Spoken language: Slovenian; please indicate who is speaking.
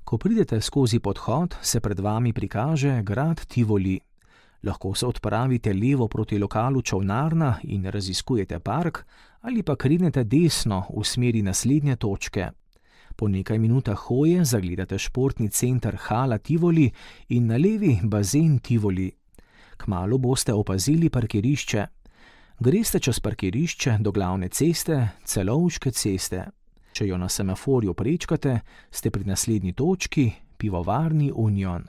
Speaker 1: Ko pridete skozi podhod, se pred vami prikaže grad Tivoli. Lahko se odpravite levo proti lokalu Čolnarna in raziskujete park, ali pa krenete desno v smeri naslednje točke. Po nekaj minutah hoje zagledate športni center Hala Tivoli in na levi bazen Tivoli. Kmalu boste opazili parkirišče. Greste čez parkirišče do glavne ceste, Celovške ceste. Če jo na semaforju prečkate, ste pri naslednji točki, pivovarni Union.